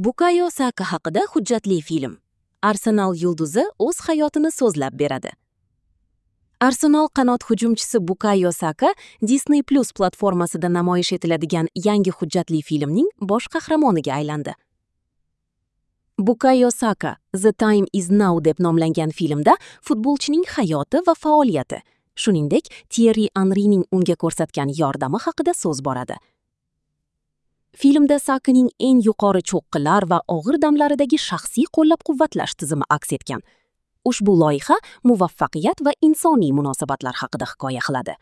Bukayo Saka haqida hujjatli film. Arsenal yulduzi o'z hayotini so'zlab beradi. Arsenal qanot hujumchisi Bukayo Saka Disney Plus platformasida namoyish etiladigan yangi hujjatli filmning bosh qahramoniga aylandi. Bukayo Saka The Time Is Now deb nomlangan filmda futbolchining hayoti va faoliyati, shuningdek, Thierry Henryning unga ko'rsatgan yordami haqida so'z boradi. Filmda Sakaning eng yuqori cho'qqilar va og'ir damlaridagi shaxsiy qo'llab-quvvatlash tizimi aks etgan. Ushbu loyiha muvaffaqiyat va insoniy munosabatlar haqida hikoya qiladi.